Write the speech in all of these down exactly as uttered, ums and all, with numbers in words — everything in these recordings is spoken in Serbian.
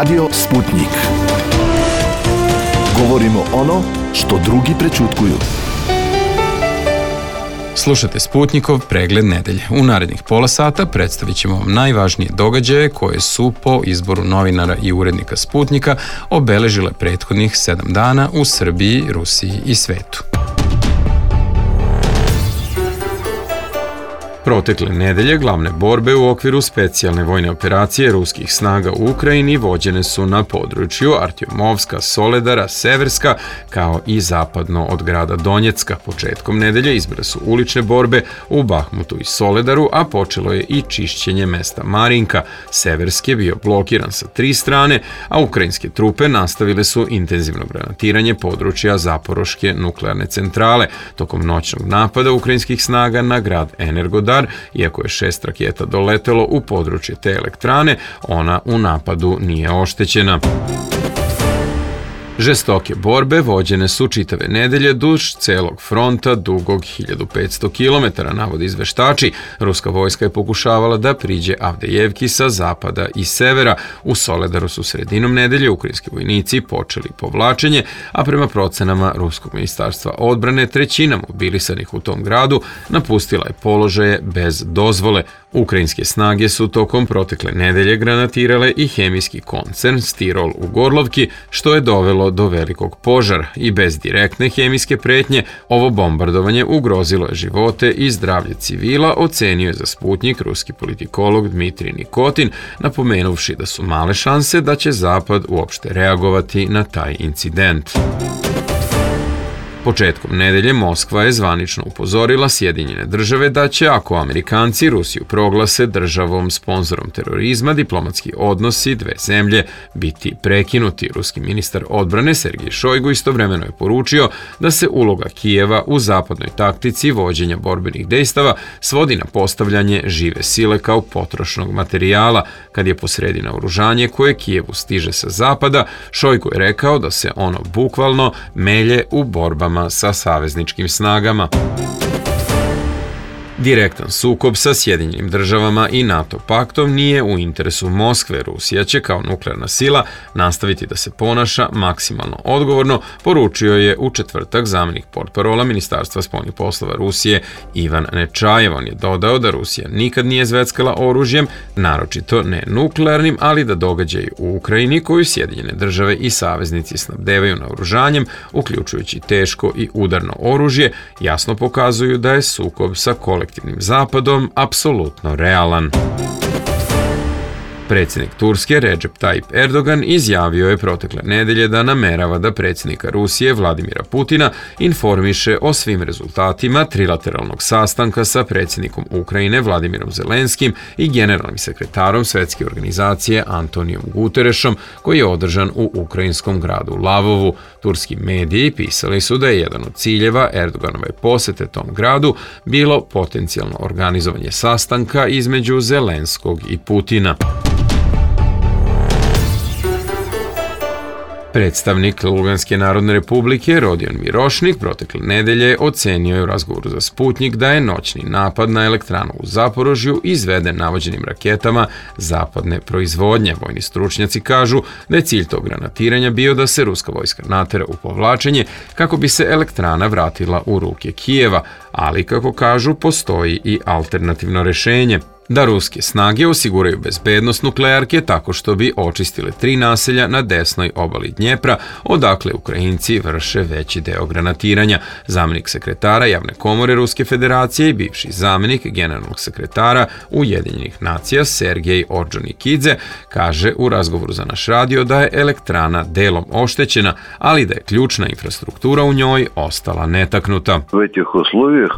Radio Sputnik. Govorimo ono što drugi prećutkuju. Slušate Sputnikov pregled nedelje. U narednih pola sata predstavit ćemo vam najvažnije događaje koje su po izboru novinara i urednika Sputnika obeležile prethodnih sedam dana u Srbiji, Rusiji i svetu. Protekle nedelje glavne borbe u okviru specijalne vojne operacije ruskih snaga u Ukrajini vođene su na području Artjomovska, Soledara, Severska, kao i zapadno od grada Donjecka. Početkom nedelje izbile su ulične borbe u Bahmutu i Soledaru, a počelo je i čišćenje mesta Marinka. Severski je bio blokiran sa tri strane, a ukrajinske trupe nastavile su intenzivno granatiranje područja Zaporoške nuklearne centrale. Tokom noćnog napada ukrajinskih snaga na grad Energodar, iako je šest raketa doletelo u područje te elektrane, ona u napadu nije oštećena. Žestoke borbe vođene su čitave nedelje duž celog fronta dugog hiljadu petsto kilometara, navode izveštači. Ruska vojska je pokušavala da priđe Avdejevki sa zapada i severa. U Soledaru su sredinom nedelje ukrajinski vojnici počeli povlačenje, a prema procenama Ruskog ministarstva odbrane trećina mobilisanih u tom gradu napustila je položaje bez dozvole. Ukrajinske snage su tokom protekle nedelje granatirale i hemijski koncern Stirol u Gorlovki, što je dovelo do velikog požara, i bez direktne hemijske pretnje ovo bombardovanje ugrozilo je živote i zdravlje civila, ocenio je za Sputnik ruski politikolog Dmitrij Nikotin, napomenuvši da su male šanse da će Zapad uopšte reagovati na taj incident. Početkom nedelje Moskva je zvanično upozorila Sjedinjene države da će, ako Amerikanci Rusiju proglase državom sponzorom terorizma, diplomatski odnosi dve zemlje biti prekinuti. Ruski ministar odbrane Sergej Šojgu istovremeno je poručio da se uloga Kijeva u zapadnoj taktici vođenja borbenih dejstava svodi na postavljanje žive sile kao potrošnog materijala. Kad je posredi naoružanje koje Kijevu stiže sa zapada, Šojgu je rekao da se ono bukvalno melje u borbama sa savezničkim snagama. Direktan sukob sa Sjedinjenim državama i NATO paktom nije u interesu Moskve. Rusija će kao nuklearna sila nastaviti da se ponaša maksimalno odgovorno, poručio je u četvrtak zamenik portparola Ministarstva spoljnih poslova Rusije Ivan Nečajev. On je dodao da Rusija nikad nije zveckala oružjem, naročito ne nuklearnim, ali da događaji u Ukrajini, koju Sjedinjene države i saveznici snabdevaju naoružanjem, uključujući teško i udarno oružje, jasno pokazuju da je sukob sa kolektivnim Zapadom apsolutno realan. Predsjednik Turske Recep Tayyip Erdogan izjavio je protekle nedelje da namerava da predsjednika Rusije Vladimira Putina informiše o svim rezultatima trilateralnog sastanka sa predsjednikom Ukrajine Vladimirom Zelenskim i generalnim sekretarom Svetske organizacije Antonijom Guterešom, koji je održan u ukrajinskom gradu Lavovu. Turski mediji pisali su da je jedan od ciljeva Erdoganove posete tom gradu bilo potencijalno organizovanje sastanka između Zelenskog i Putina. Predstavnik Luganske narodne republike Rodion Mirošnik protekle nedelje ocenio je u razgovoru za Sputnik da je noćni napad na elektranu u Zaporožju izveden navođenim raketama zapadne proizvodnje. Vojni stručnjaci kažu da je cilj tog granatiranja bio da se ruska vojska natera u povlačenje kako bi se elektrana vratila u ruke Kijeva, ali kako kažu postoji i alternativno rešenje. Da ruske snage osiguraju bezbednost nuklearke tako što bi očistile tri naselja na desnoj obali Dnjepra, odakle Ukrajinci vrše veći deo granatiranja. Zamenik sekretara Javne komore Ruske federacije i bivši zamenik generalnog sekretara Ujedinjenih nacija Sergej Orđonikidze kaže u razgovoru za naš radio da je elektrana delom oštećena, ali da je ključna infrastruktura u njoj ostala netaknuta.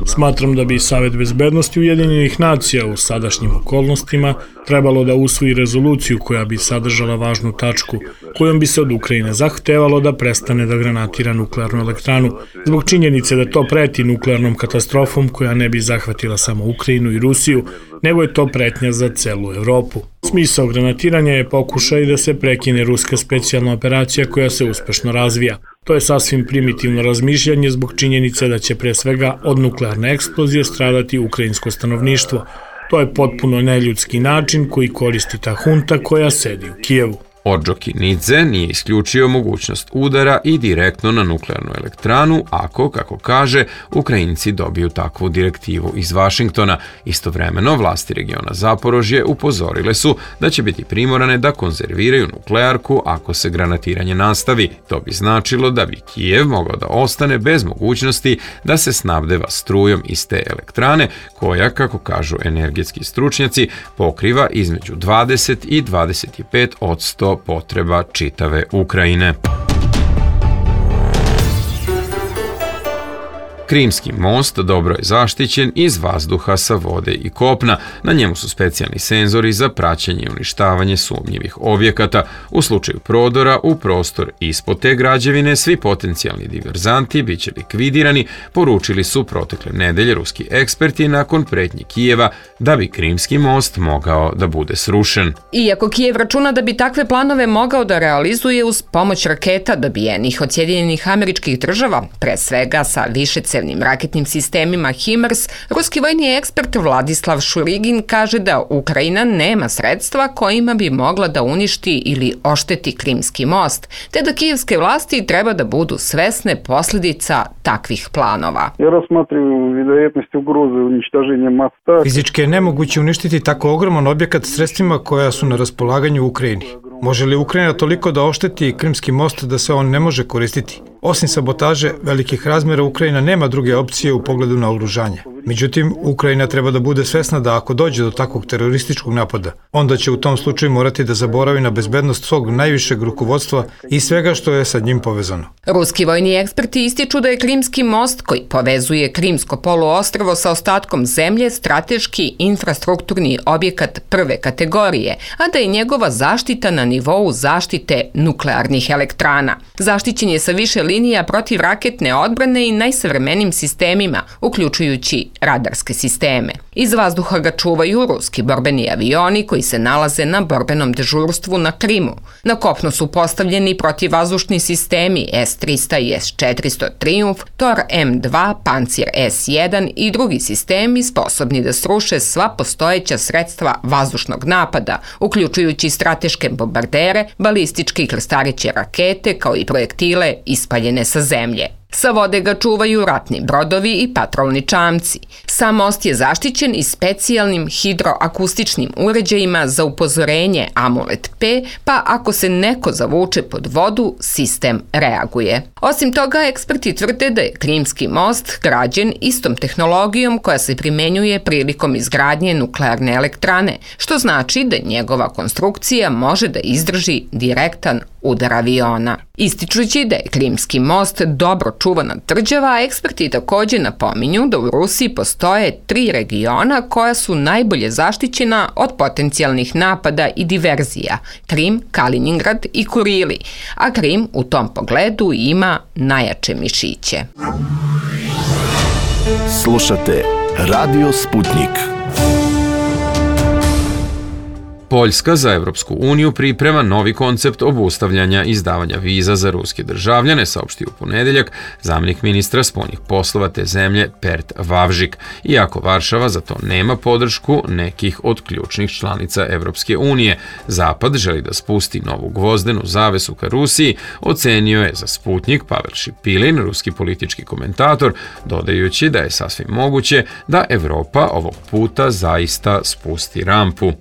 Smatram da bi Savet bezbednosti Ujedinjenih nacija u sadašnjim okolnostima trebalo da usvoji rezoluciju koja bi sadržala važnu tačku, kojom bi se od Ukrajine zahtevalo da prestane da granatira nuklearnu elektranu, zbog činjenice da to preti nuklearnom katastrofom koja ne bi zahvatila samo Ukrajinu i Rusiju, nego je to pretnja za celu Evropu. Smisao granatiranja je pokušaj da se prekine ruska specijalna operacija koja se uspešno razvija. To je sasvim primitivno razmišljanje zbog činjenice da će pre svega od nuklearne eksplozije stradati ukrajinsko stanovništvo. To je potpuno neljudski način koji koristi ta hunta koja sedi u Kijevu. Orđokinidze nije isključio mogućnost udara i direktno na nuklearnu elektranu ako, kako kaže, Ukrajinci dobiju takvu direktivu iz Vašingtona. Istovremeno, vlasti regiona Zaporožje upozorile su da će biti primorane da konzerviraju nuklearku ako se granatiranje nastavi. To bi značilo da bi Kijev mogao da ostane bez mogućnosti da se snabdeva strujom iz te elektrane, koja, kako kažu energetski stručnjaci, pokriva između dvadeset i dvadeset pet posto potreba čitave Ukrajine. Krimski most dobro je zaštićen iz vazduha, sa vode i kopna. Na njemu su specijalni senzori za praćenje i uništavanje sumnjivih objekata. U slučaju prodora u prostor ispod te građevine svi potencijalni diverzanti biće likvidirani, poručili su protekle nedelje ruski eksperti nakon pretnji Kijeva da bi Krimski most mogao da bude srušen. Iako Kijev računa da bi takve planove mogao da realizuje uz pomoć raketa dobijenih od Sjedinjenih Američkih Država, pre svega sa višecevnim raketnim sistemima HIMARS, ruski vojni ekspert Vladislav Šurigin kaže da Ukrajina nema sredstva kojima bi mogla da uništi ili ošteti Krimski most, te da kijevske vlasti treba da budu svesne posljedica takvih planova. Ja razmatram vjerojatnost ugroze uništaženja mosta. Fizički je nemoguće uništiti tako ogroman objekat sredstvima koja su na raspolaganju u Ukrajini. Može li Ukrajina toliko da ošteti Krimski most da se on ne može koristiti? Osim sabotaže velikih razmjera, Ukrajina nema druge opcije u pogledu na oružanje. Međutim, Ukrajina treba da bude svesna da ako dođe do takvog terorističkog napada, onda će u tom slučaju morati da zaboravi na bezbednost svog najvišeg rukovodstva i svega što je sa njim povezano. Ruski vojni eksperti ističu da je Krimski most, koji povezuje Krimsko poluostrvo sa ostatkom zemlje, strateški infrastrukturni objekat prve kategorije, a da je njegova zaštita na nivou zaštite nuklearnih elektrana. Zaštićen je sa više linija protivraketne odbrane i najsavremenijim sistemima, uključujući radarske sisteme. Iz vazduha ga čuvaju ruski borbeni avioni koji se nalaze na borbenom dežurstvu na Krimu. Na kopnu su postavljeni protivvazdušni sistemi S trista i S četiristo Triumf, Tor M dva, Pancir S jedan i drugi sistemi sposobni da sruše sva postojeća sredstva vazdušnog napada, uključujući strateške bombardere, balističke i krstareće rakete, kao i projektile ispaljene sa zemlje. Sa vode ga čuvaju ratni brodovi i patrolni čamci. Sam most je zaštićen i specijalnim hidroakustičnim uređajima za upozorenje Amulet P, pa ako se neko zavuče pod vodu, sistem reaguje. Osim toga, eksperti tvrde da je Krimski most građen istom tehnologijom koja se primenjuje prilikom izgradnje nuklearne elektrane, što znači da njegova konstrukcija može da izdrži direktan udar aviona. Ističući da je Krimski most dobro čuvana tvrđava, a eksperti također napominju da u Rusiji postoje tri regiona koja su najbolje zaštićena od potencijalnih napada i diverzija: Krim, Kaliningrad i Kurili, a Krim u tom pogledu ima najjače mišiće. Slušate Radio Sputnik. Poljska za Evropsku uniju priprema novi koncept obustavljanja izdavanja viza za ruske državljane, saopštio u ponedeljak zamjenik ministra spoljnih poslova te zemlje Pert Vavžik, iako Varšava za to nema podršku nekih od ključnih članica Evropske unije. Zapad želi da spusti novu gvozdenu zavesu ka Rusiji, ocenio je za Sputnik Pavel Šipilin, ruski politički komentator, dodajući da je sasvim moguće da Evropa ovog puta zaista spusti rampu.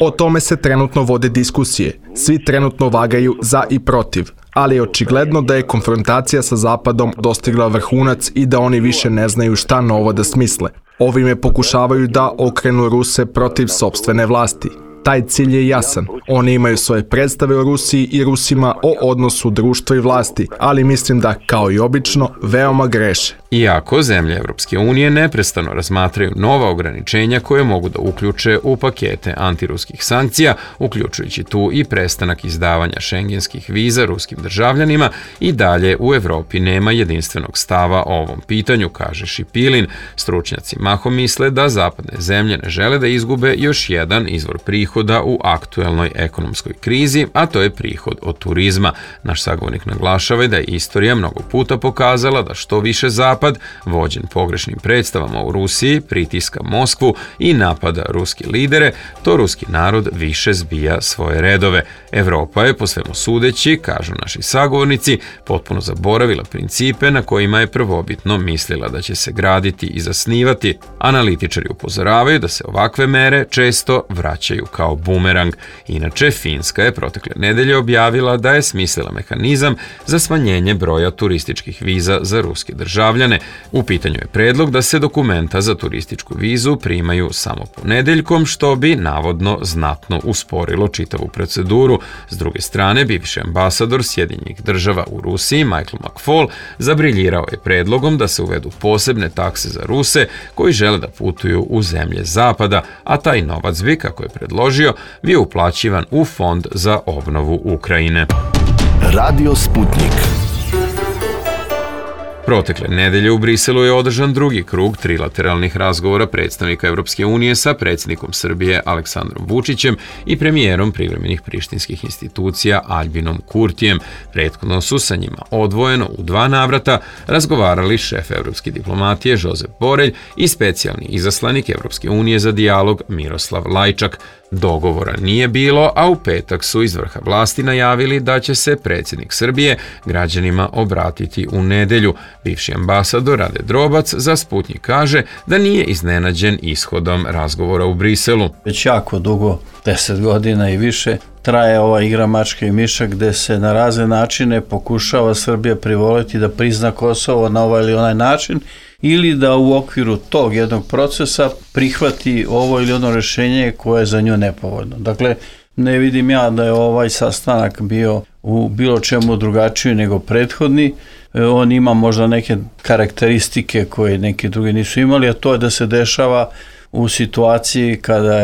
O tome se trenutno vode diskusije. Svi trenutno vagaju za i protiv, ali je očigledno da je konfrontacija sa Zapadom dostigla vrhunac i da oni više ne znaju šta novo da smisle. Ovime pokušavaju da okrenu Ruse protiv sopstvene vlasti. Taj cilj je jasan. Oni imaju svoje predstave o Rusiji i Rusima, o odnosu društva i vlasti, ali mislim da, kao i obično, veoma greše. Iako zemlje Evropske unije neprestano razmatraju nova ograničenja koje mogu da uključe u pakete antiruskih sankcija, uključujući tu i prestanak izdavanja šengenskih viza ruskim državljanima, i dalje u Evropi nema jedinstvenog stava o ovom pitanju, kaže Šipilin. Stručnjaci mahom misle da zapadne zemlje ne žele da izgube još jedan izvor prihoda u aktuelnoj ekonomskoj krizi, a to je prihod od turizma. Naš sagovornik naglašava da je istorija mnogo puta pokazala da što više zapad Zapad, vođen pogrešnim predstavama u Rusiji, pritiska Moskvu i napada ruski lidere, to ruski narod više zbija svoje redove. Evropa je, po svemu sudeći, kažu naši sagovornici, potpuno zaboravila principe na kojima je prvobitno mislila da će se graditi i zasnivati. Analitičari upozoravaju da se ovakve mere često vraćaju kao bumerang. Inače, Finska je protekle nedelje objavila da je smislila mehanizam za smanjenje broja turističkih viza za ruske državljane. U pitanju je predlog da se dokumenta za turističku vizu primaju samo ponedeljkom, što bi navodno znatno usporilo čitavu proceduru. S druge strane, bivši ambasador Sjedinjenih država u Rusiji, Michael McFaul, zabriljirao je predlogom da se uvedu posebne takse za Ruse koji žele da putuju u zemlje Zapada, a taj novac bi, kako je predložio, bio uplaćivan u fond za obnovu Ukrajine. Radio Sputnik. Protekle nedelje u Briselu je održan drugi krug trilateralnih razgovora predstavnika Evropske unije sa predsjednikom Srbije Aleksandrom Vučićem i premijerom privremenih prištinskih institucija Aljbinom Kurtijem. Prethodno su sa njima odvojeno u dva navrata razgovarali šef evropske diplomatije Josep Borelj i specijalni izaslanik Evropske unije za dijalog Miroslav Lajčak. Dogovora nije bilo, a u petak su iz vrha vlasti najavili da će se predsjednik Srbije građanima obratiti u nedelju. Bivši ambasador Rade Drobac za Sputnik kaže da nije iznenađen ishodom razgovora u Briselu. Već jako dugo, deset godina i više, traje ova igra mačka i miša gde se na razne načine pokušava Srbija privoliti da prizna Kosovo na ovaj ili onaj način ili da u okviru tog jednog procesa prihvati ovo ili ono rješenje koje je za nju nepovoljno. Dakle, ne vidim ja da je ovaj sastanak bio u bilo čemu drugačiji nego prethodni. On ima možda neke karakteristike koje neki drugi nisu imali, a to je da se dešava u situaciji kada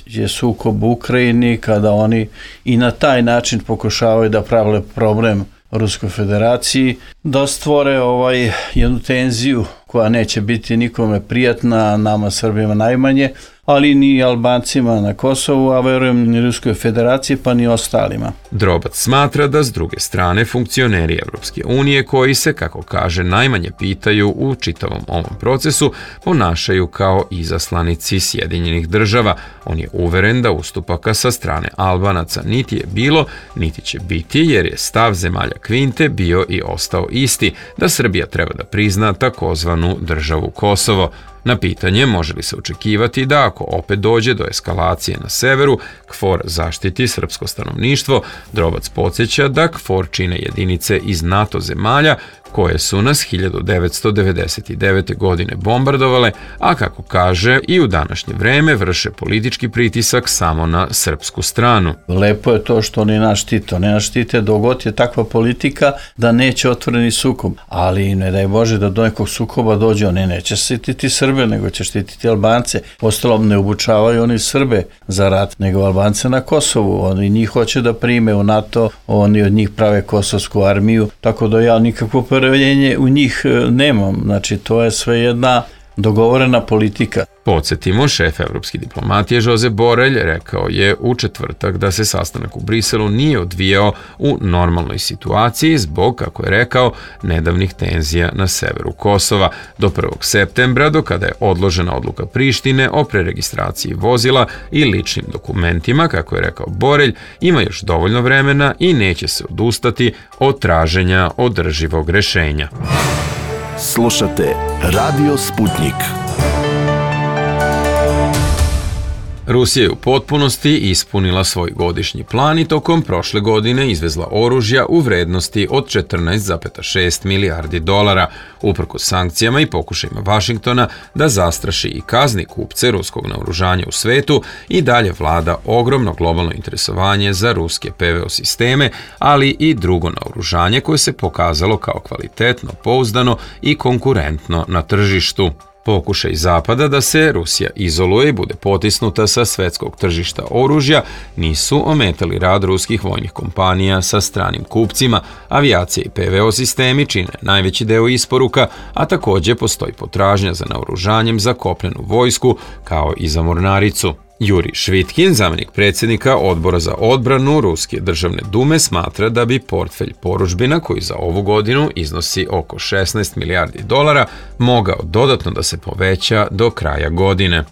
je sukob u Ukrajini, kada oni i na taj način pokušavaju da prave problem Ruskoj federaciji, da stvore ovaj jednu tenziju koja neće biti nikome prijatna, nama Srbima najmanje, ali ni Albancima na Kosovu, a verujem ni Ruskoj federaciji, pa ni ostalima. Drobac smatra da s druge strane funkcioneri Evropske unije, koji se, kako kaže, najmanje pitaju u čitavom ovom procesu, ponašaju kao izaslanici Sjedinjenih država. On je uveren da ustupaka sa strane Albanaca niti je bilo, niti će biti, jer je stav zemalja Kvinte bio i ostao isti, da Srbija treba da prizna takozvanu državu Kosovo. Na pitanje može li se očekivati da ako opet dođe do eskalacije na severu, KFOR zaštiti srpsko stanovništvo, Drobac podsjeća da KFOR čine jedinice iz NATO zemalja koje su nas hiljadu devetsto devedeset devete. godine bombardovale, a kako kaže i u današnje vreme vrše politički pritisak samo na srpsku stranu. Lepo je to što oni nas štite. Oni nas štite dok god je takva politika da neće otvoreni sukob, ali ne daj Bože da do nekog sukoba dođe, oni neće štititi Srbe, nego će štititi Albance. Ostalom ne obučavaju oni Srbe za rat, nego Albance na Kosovu. Oni njih hoće da prime u NATO, oni od njih prave kosovsku armiju, tako da ja nikakvo poverenje u njih nemam. Znači, to je sve jedna dogovorena politika. Podsjetimo, šef evropske diplomatije Josep Borelj rekao je u četvrtak da se sastanak u Briselu nije odvijao u normalnoj situaciji zbog, kako je rekao, nedavnih tenzija na severu Kosova. Do prvog septembra, do kada je odložena odluka Prištine o preregistraciji vozila i ličnim dokumentima, kako je rekao Borelj, ima još dovoljno vremena i neće se odustati od traženja održivog rešenja. Slušate Radio Sputnik. Rusija je u potpunosti ispunila svoj godišnji plan i tokom prošle godine izvezla oružja u vrednosti od četrnaest zarez šest milijardi dolara, uprkos sankcijama i pokušajima Vašingtona da zastraši i kazni kupce ruskog naoružanja u svetu. I dalje vlada ogromno globalno interesovanje za ruske P V O sisteme, ali i drugo naoružanje koje se pokazalo kao kvalitetno, pouzdano i konkurentno na tržištu. Pokušaj Zapada da se Rusija izoluje i bude potisnuta sa svetskog tržišta oružja nisu ometali rad ruskih vojnih kompanija sa stranim kupcima. Avijacija i P V O sistemi čine najveći deo isporuka, a također postoji potražnja za naoružanjem za kopnenu vojsku kao i za mornaricu. Juri Švitkin, zamenik predsjednika Odbora za odbranu Ruske državne dume, smatra da bi portfelj porudžbina, koji za ovu godinu iznosi oko šesnaest milijardi dolara, mogao dodatno da se poveća do kraja godine.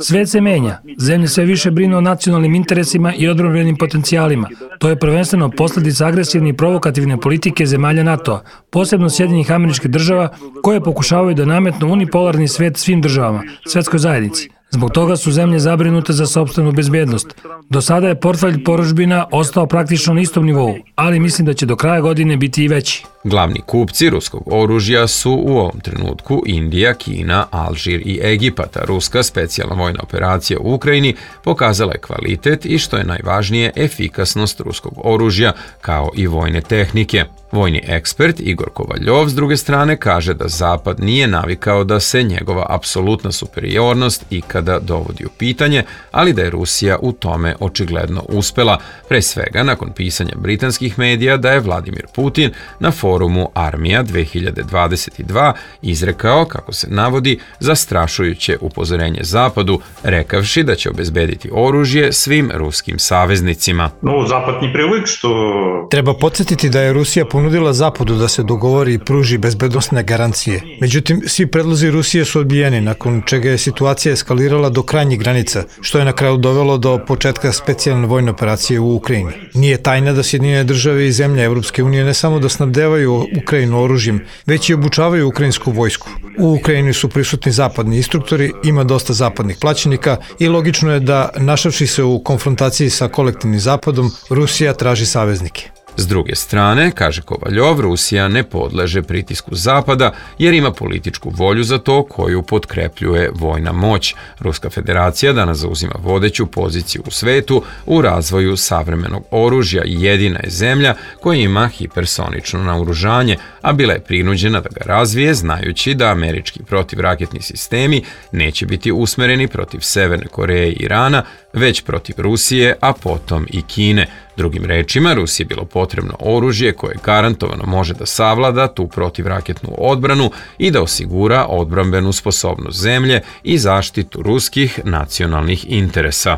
Svet se menja. Zemlje sve više brinu o nacionalnim interesima i odbrambenim potencijalima. To je prvenstveno posljedica agresivne i provokativne politike zemalja NATO-a, posebno Sjedinjenih Američkih Država, koje pokušavaju da nametnu unipolarni svet svim državama, svetskoj zajednici. Zbog toga su zemlje zabrinute za sopstvenu bezbjednost. Do sada je portfelj porudžbina ostao praktično na istom nivou, ali mislim da će do kraja godine biti i veći. Glavni kupci ruskog oružja su u ovom trenutku Indija, Kina, Alžir i Egipat. Ruska specijalna vojna operacija u Ukrajini pokazala je kvalitet i, što je najvažnije, efikasnost ruskog oružja kao i vojne tehnike. Vojni ekspert Igor Kovaljov s druge strane kaže da Zapad nije navikao da se njegova apsolutna superiornost ikada dovodi u pitanje, ali da je Rusija u tome očigledno uspela, pre svega nakon pisanja britanskih medija da je Vladimir Putin na forumu Armija dve hiljade dvadeset dva izrekao, kako se navodi, zastrašujuće upozorenje Zapadu, rekavši da će obezbediti oružje svim ruskim saveznicima. No, Zapad ni privik što... Treba podsjetiti da je Rusija ponudila Zapadu da se dogovori i pruži bezbednosne garancije. Međutim, svi predlozi Rusije su odbijeni, nakon čega je situacija eskalirala do krajnjih granica, što je na kraju dovelo do početka specijalne vojne operacije u Ukrajini. Nije tajna da Sjedinjene države i zemlje Evropske unije ne samo da snabdevaju Ukrajinu oružjem, već i obučavaju ukrajinsku vojsku. U Ukrajini su prisutni zapadni instruktori, ima dosta zapadnih plaćenika i logično je da, našavši se u konfrontaciji sa kolektivnim Zapadom, Rusija traži saveznike. S druge strane, kaže Kovaljov, Rusija ne podleže pritisku Zapada jer ima političku volju za to koju potkrepljuje vojna moć. Ruska federacija danas zauzima vodeću poziciju u svetu u razvoju savremenog oružja i jedina je zemlja koja ima hipersonično naoružanje, a bila je prinuđena da ga razvije znajući da američki protivraketni sistemi neće biti usmereni protiv Severne Koreje i Irana, već protiv Rusije, a potom i Kine. Drugim rečima, Rusiji je bilo potrebno oružje koje garantovano može da savlada tu protivraketnu odbranu i da osigura odbrambenu sposobnost zemlje i zaštitu ruskih nacionalnih interesa.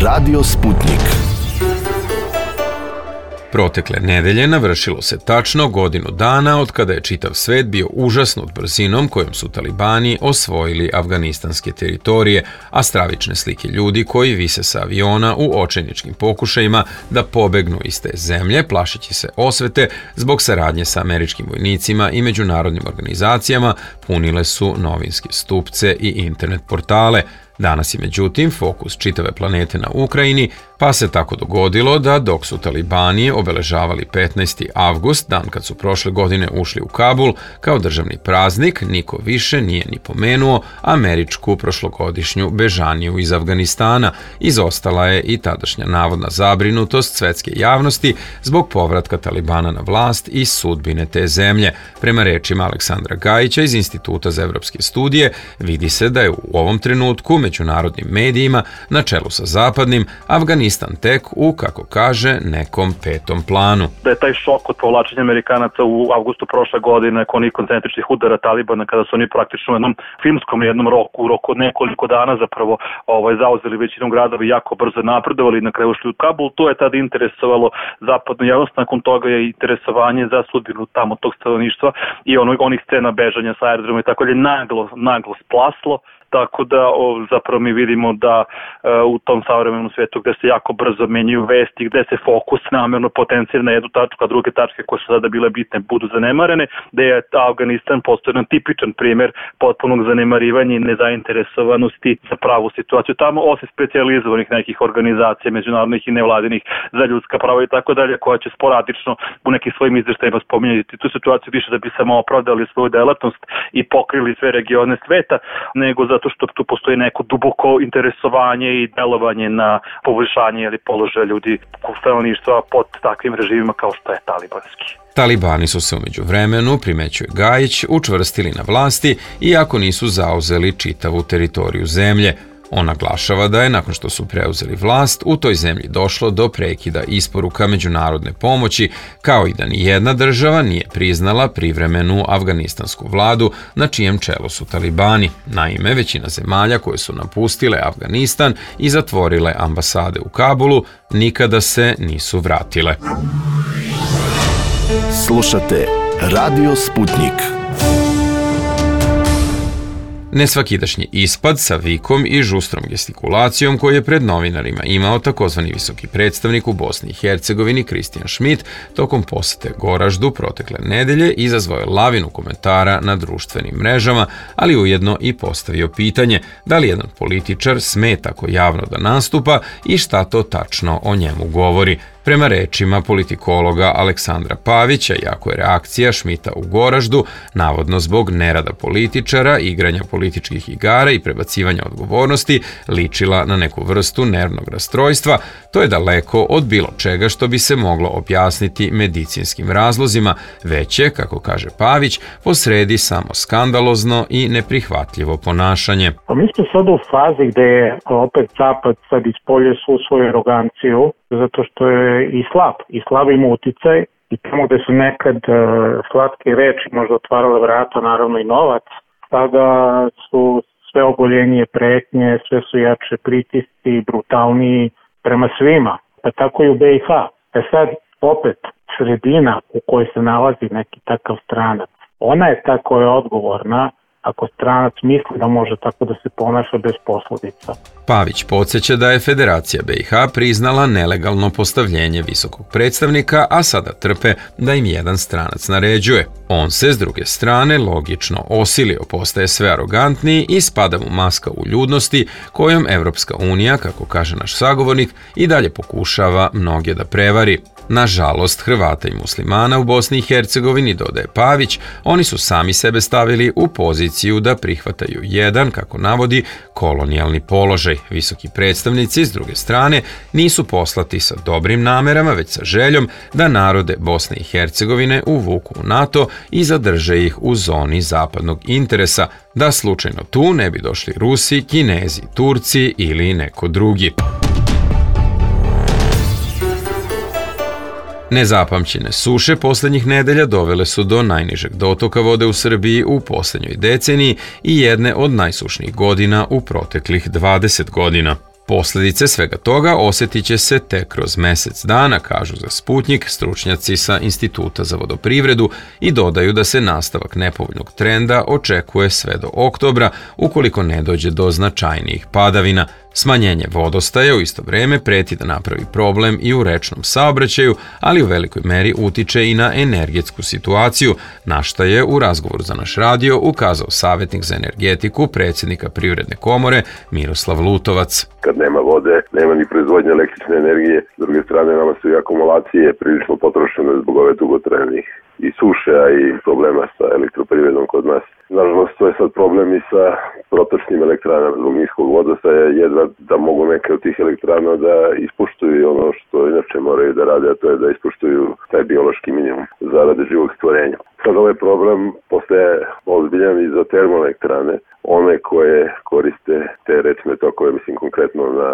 Radio Sputnik. Protekle nedelje navršilo se tačno godinu dana od kada je čitav svet bio užasnut brzinom kojom su talibani osvojili afganistanske teritorije, a stravične slike ljudi koji vise sa aviona u očajničkim pokušajima da pobegnu iz te zemlje, plašeći se osvete zbog saradnje sa američkim vojnicima i međunarodnim organizacijama, punile su novinske stupce i internet portale. Danas je međutim fokus čitave planete na Ukrajini, pa se tako dogodilo da dok su talibani obeležavali petnaesti avgust, dan kad su prošle godine ušli u Kabul, kao državni praznik, niko više nije ni pomenuo američku prošlogodišnju bežaniju iz Afganistana. Izostala je i tadašnja navodna zabrinutost svetske javnosti zbog povratka talibana na vlast i sudbine te zemlje. Prema rečima Aleksandra Gajića iz Instituta za evropske studije, vidi se da je u ovom trenutku međunarodnim medijima, na čelu sa zapadnim, Afganistan tek u, kako kaže, nekom petom planu. Da je taj šok od povlačenja Amerikanaca u avgustu prošle godine, nakon onih koncentričnih udara Talibana, kada su oni praktično u jednom filmskom jednom roku, u roku od nekoliko dana zapravo ovaj, zauzeli većinom gradova i jako brzo napredovali i na kraju ušli u Kabul, to je tada interesovalo zapadnu javnost, nakon toga je interesovanje za sudbinu tamo tog stanovništva i ono, onih scena bežanja sa aerodroma i tako je naglo, naglo splaslo. Tako da o, zapravo mi vidimo da e, u tom savremenom svijetu gde se jako brzo menjaju vesti, gde se fokus namerno potencira na jednu tačku, a druge tačke koje su sada bile bitne budu zanemarene, da je Afganistan postao jedan tipičan primjer potpunog zanemarivanja i nezainteresovanosti za pravu situaciju tamo, osim specijalizovanih nekih organizacija, međunarodnih i nevladinih za ljudska prava i tako dalje, koja će sporadično u nekim svojim izveštajima spominjati tu situaciju više da bi samo opravdali svoju delatnost i pokrili sve regione sveta, nego zato što tu postoji neko duboko interesovanje i delovanje na poboljšanje ili položaja ljudi stanovništva pod takvim režimima kao što je talibanski. Talibani su se umeđu vremenu, primećuje Gajić, učvrstili na vlasti iako nisu zauzeli čitavu teritoriju zemlje. On naglašava da je, nakon što su preuzeli vlast, u toj zemlji došlo do prekida isporuka međunarodne pomoći, kao i da ni jedna država nije priznala privremenu afganistansku vladu na čijem čelu su talibani. Naime, većina zemalja koje su napustile Afganistan i zatvorile ambasade u Kabulu nikada se nisu vratile. Slušate Radio Sputnik. Nesvakidašnji ispad sa vikom i žustrom gestikulacijom koji je pred novinarima imao takozvani visoki predstavnik u Bosni i Hercegovini Kristijan Šmit tokom posete Goraždu protekle nedelje izazvao je lavinu komentara na društvenim mrežama, ali ujedno i postavio pitanje da li jedan političar sme tako javno da nastupa i šta to tačno o njemu govori. Prema rečima politikologa Aleksandra Pavića, jako je reakcija Šmita u Goraždu, navodno zbog nerada političara, igranja političkih igara i prebacivanja odgovornosti, ličila na neku vrstu nervnog rastrojstva, to je daleko od bilo čega što bi se moglo objasniti medicinskim razlozima, već je, kako kaže Pavić, posredi samo skandalozno i neprihvatljivo ponašanje. Pa mi smo sad u fazi gde je opet Zapad sad ispolje svu svoju aroganciju, zato što je i slab, i slab ima uticaj, i tamo gde su nekad uh, slatke reči možda otvarale vrata, naravno i novac, sada su sve ogoljenije pretnje, sve su jače pritisci, brutalniji prema svima, pa tako i u B i H. E sad, opet, sredina u kojoj se nalazi neki takav stranac, ona je ta koja je odgovorna ako stranac misli da može tako da se ponaša bez posledica. Pavić podsjeća da je Federacija B i H priznala nelegalno postavljenje visokog predstavnika, a sada trpe da im jedan stranac naređuje. On se, s druge strane, logično osilio, postaje sve arogantniji i spada mu maska uljudnosti kojom Evropska unija, kako kaže naš sagovornik, i dalje pokušava mnoge da prevari. Nažalost, Hrvata i muslimana u Bosni i Hercegovini, dodaje Pavić, oni su sami sebe stavili u poziciju da prihvataju jedan, kako navodi, kolonijalni položaj. Visoki predstavnici, s druge strane, nisu poslati sa dobrim namerama, već sa željom da narode Bosne i Hercegovine uvuku u NATO i zadrže ih u zoni zapadnog interesa, da slučajno tu ne bi došli Rusi, Kinezi, Turci ili neko drugi. Nezapamćene suše posljednjih nedelja dovele su do najnižeg dotoka vode u Srbiji u posljednjoj deceniji i jedne od najsušnijih godina u proteklih dvadeset godina. Posljedice svega toga osjetit će se tek kroz mjesec dana, kažu za Sputnik stručnjaci sa Instituta za vodoprivredu i dodaju da se nastavak nepovoljnog trenda očekuje sve do oktobra ukoliko ne dođe do značajnijih padavina. Smanjenje vodostaja u isto vrijeme preti da napravi problem i u rečnom saobraćaju, ali u velikoj meri utiče i na energetsku situaciju, na šta je u razgovoru za naš radio ukazao savjetnik za energetiku predsjednika Privredne komore Miroslav Lutovac. Kad nema vode, nema ni proizvodnje električne energije, s druge strane nama su i akumulacije prilično potrošene zbog ove dugotrajnih i suše, a i problema sa elektroprivredom kod nas. Nažalost, to je sad problem i sa protočnim elektranama zbog niskog vodostaja, jedva da mogu neke od tih elektrana da ispuštuju ono što inače moraju da rade, a to je da ispuštuju taj biološki minimum zarade živog stvorenja. Sad ovaj problem postaje ozbiljan i za termoelektrane, one koje koriste te rečne tokove, mislim konkretno na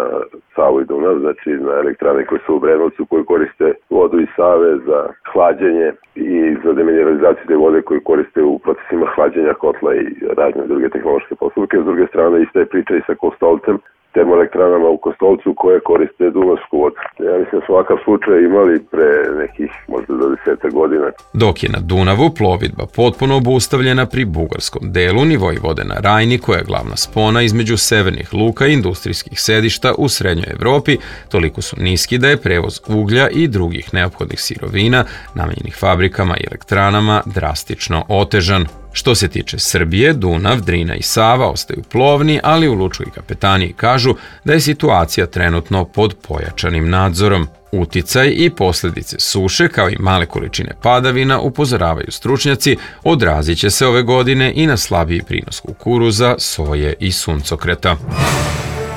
Savu i Dunav, znači na elektrane koje su u Brenovcu, koje koriste vodu iz Save za hlađenje i za demineralizaciju te vode koju koriste u procesima hlađenja kotla i razne druge tehnološke postupke. S druge strane, ista je priča i sa Kostolcem, termoelektranama u Kostolcu koje koriste dunavsku vodu. Ja mislim da smo ovakav slučaj imali pre nekih možda dvadeset godina. Dok je na Dunavu plovidba potpuno obustavljena pri bugarskom delu, nivoi vode na Rajni, koja je glavna spona između severnih luka i industrijskih sedišta u srednjoj Evropi, toliko su niski da je prevoz uglja i drugih neophodnih sirovina namenjenih fabrikama i elektranama drastično otežan. Što se tiče Srbije, Dunav, Drina i Sava ostaju plovni, ali u lučkoj kapetaniji kažu da je situacija trenutno pod pojačanim nadzorom. Uticaj i posljedice suše, kao i male količine padavina, upozoravaju stručnjaci, odrazit će se ove godine i na slabiji prinos kukuruza, soje i suncokreta.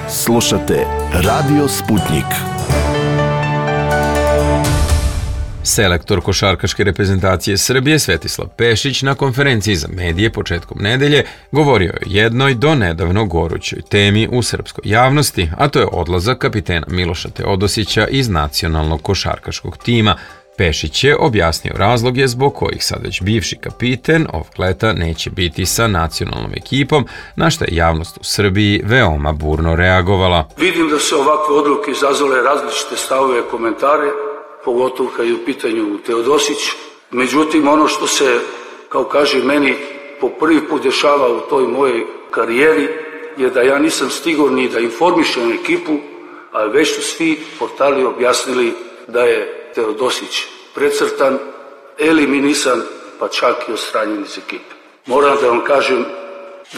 Slušate Radio Sputnik. Selektor košarkaške reprezentacije Srbije Svetislav Pešić na konferenciji za medije početkom nedelje govorio je o jednoj do nedavno gorućoj temi u srpskoj javnosti, a to je odlazak kapitena Miloša Teodosića iz nacionalnog košarkaškog tima. Pešić je objasnio razloge zbog kojih sad već bivši kapiten ovog leta neće biti sa nacionalnom ekipom, na što je javnost u Srbiji veoma burno reagovala. Vidim da se ovakve odluke izazvale različite stavove i komentare, pogotovo kad je u pitanju Teodosić. Međutim, ono što se, kao kaže meni, po prvi put dešava u toj mojej karijeri je da ja nisam stigao ni da informišem ekipu, a već su svi portali objasnili da je Teodosić precrtan, eliminisan, pa čak i odstranjen iz ekipe. Moram da vam kažem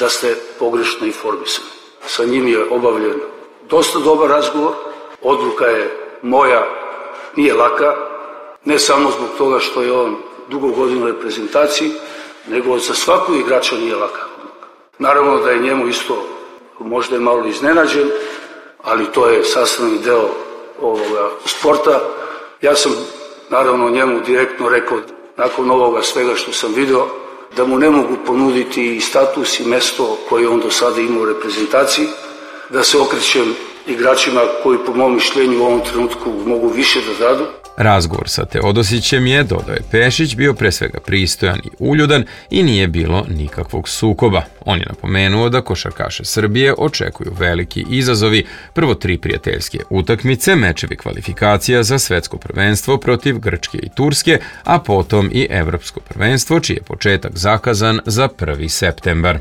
da ste pogrešno informisani. Sa njim je obavljen dosta dobar razgovor, odluka je moja, nije laka, ne samo zbog toga što je on dugo godina u reprezentaciji, nego za svakog igrača nije laka odluka. Naravno da je njemu isto možda je malo iznenađen, ali to je sastavni deo ovoga sporta. Ja sam naravno njemu direktno rekao, nakon ovoga svega što sam video, da mu ne mogu ponuditi i status i mesto koje on do sada ima u reprezentaciji, da se okrećem igračima koji po mom mišljenju u ovom trenutku mogu više da dadu. Razgovor sa Teodosićem je, dodao je Pešić, bio pre svega pristojan i uljudan i nije bilo nikakvog sukoba. On je napomenuo da košarkaše Srbije očekuju veliki izazovi, prvo tri prijateljske utakmice, mečevi kvalifikacija za svetsko prvenstvo protiv Grčke i Turske, a potom i evropsko prvenstvo, čiji je početak zakazan za prvi septembar.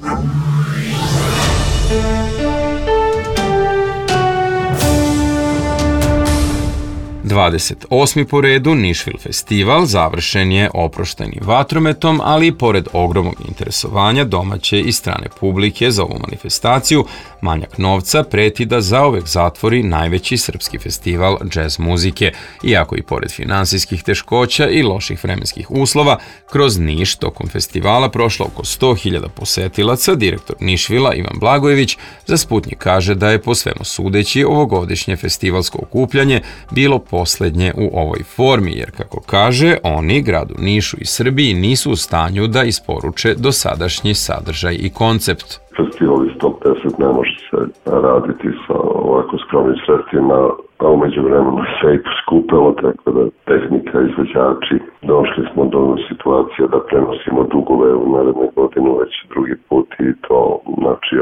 dvadeset osmi po redu Nišvil festival završen je oproštajnim vatrometom, ali i pored ogromnog interesovanja domaće i strane publike za ovu manifestaciju, manjak novca preti da zauvek zatvori najveći srpski festival džez muzike. Iako i pored finansijskih teškoća i loših vremenskih uslova, kroz Niš tokom festivala prošlo oko sto hiljada posetilaca, direktor Nišvila Ivan Blagojević za Sputnjik kaže da je po svemu sudeći ovogodišnje festivalsko okupljanje bilo poslednje u ovoj formi, jer kako kaže, oni gradu Nišu i Srbiji nisu u stanju da isporuče dosadašnji sadržaj i koncept. Festival iz top deset ne može se raditi sa ovako skromnim sredstvima, a umeđu vremenu se i poskupelo, tako da tehnika, izvođači, došli smo do situacije da prenosimo dugove u naredne godinu već drugi put i to znači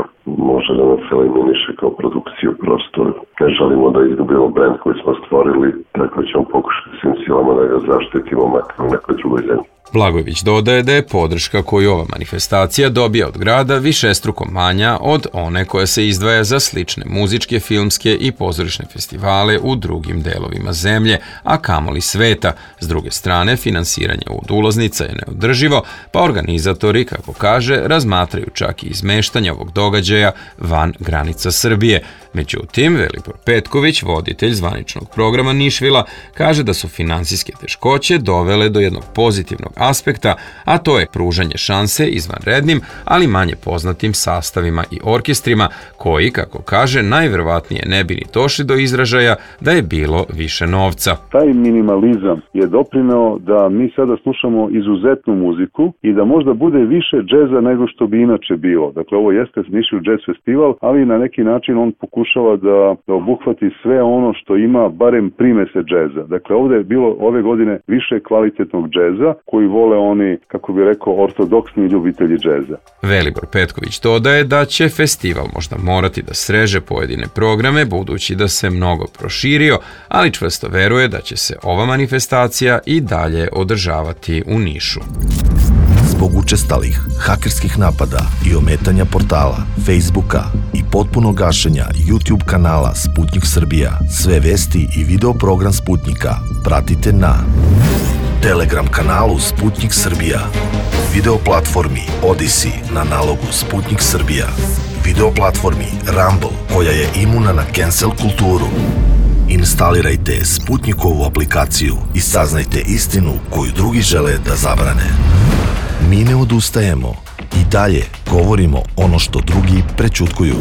može da nas eliminiše kao produkciju, prosto ne želimo da izgubimo brend koji smo stvorili, tako ćemo pokušati svim silama da ga zaštitimo makar u nekoj drugoj zemlji. Blagojević dodaje da je podrška koju ova manifestacija dobija od grada višestruko manja od one koja se izdvaja za slične muzičke, filmske i pozorišne festivale u drugim delovima zemlje, a kamoli sveta. S druge strane, finansiranje od ulaznica je neodrživo, pa organizatori, kako kaže, razmatraju čak i izmeštanje ovog događaja van granica Srbije. Međutim, Velibor Petković, voditelj zvaničnog programa Nišvila, kaže da su finansijske teškoće dovele do jednog pozitivnog aspekta, a to je pružanje šanse izvanrednim, ali manje poznatim sastavima i orkestrima, koji, kako kaže, najverovatnije ne bi ni došli do izražaja da je bilo više novca. Taj minimalizam je doprineo da mi sada slušamo izuzetnu muziku i da možda bude više džeza nego što bi inače bilo. Dakle, ovo jeste Nišvil Jazz Festival, ali na neki način on pokušava da, da obuhvati sve ono što ima barem primese džeza. Dakle, ovde je bilo ove godine više kvalitetnog džeza koji vole oni, kako bi rekao, ortodoksni ljubitelji džeza. Velibor Petković dodaje da će festival možda morati da sreže pojedine programe, budući da se mnogo proširio, ali čvrsto veruje da će se ova manifestacija i dalje održavati u Nišu. Zbog učestalih hakerskih napada i ometanja portala, Facebooka i potpunog gašenja YouTube kanala Sputnjik Srbija, sve vesti i video program Sputnjika pratite na Telegram kanalu Sputnjik Srbija, video platformi Odyssey na nalogu Sputnjik Srbija, video platformi Rumble koja je imuna na cancel kulturu. Instalirajte Sputnjikovu aplikaciju i saznajte istinu koju drugi žele da zabrane. Mi ne odustajemo i dalje govorimo ono što drugi prećutkuju.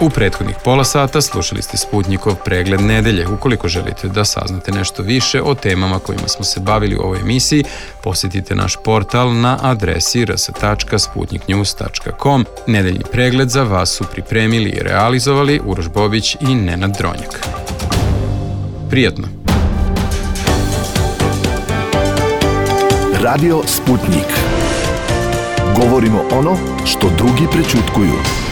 U prethodnih pola sata slušali ste Sputnjikov pregled nedelje. Ukoliko želite da saznate nešto više o temama kojima smo se bavili u ovoj emisiji, posjetite naš portal na adresi r s tačka sputnik news tačka com. Nedeljni pregled za vas su pripremili i realizovali Uroš Bobić i Nenad Dronjak. Prijatno! Radio Sputnik. Govorimo ono što drugi prećutkuju.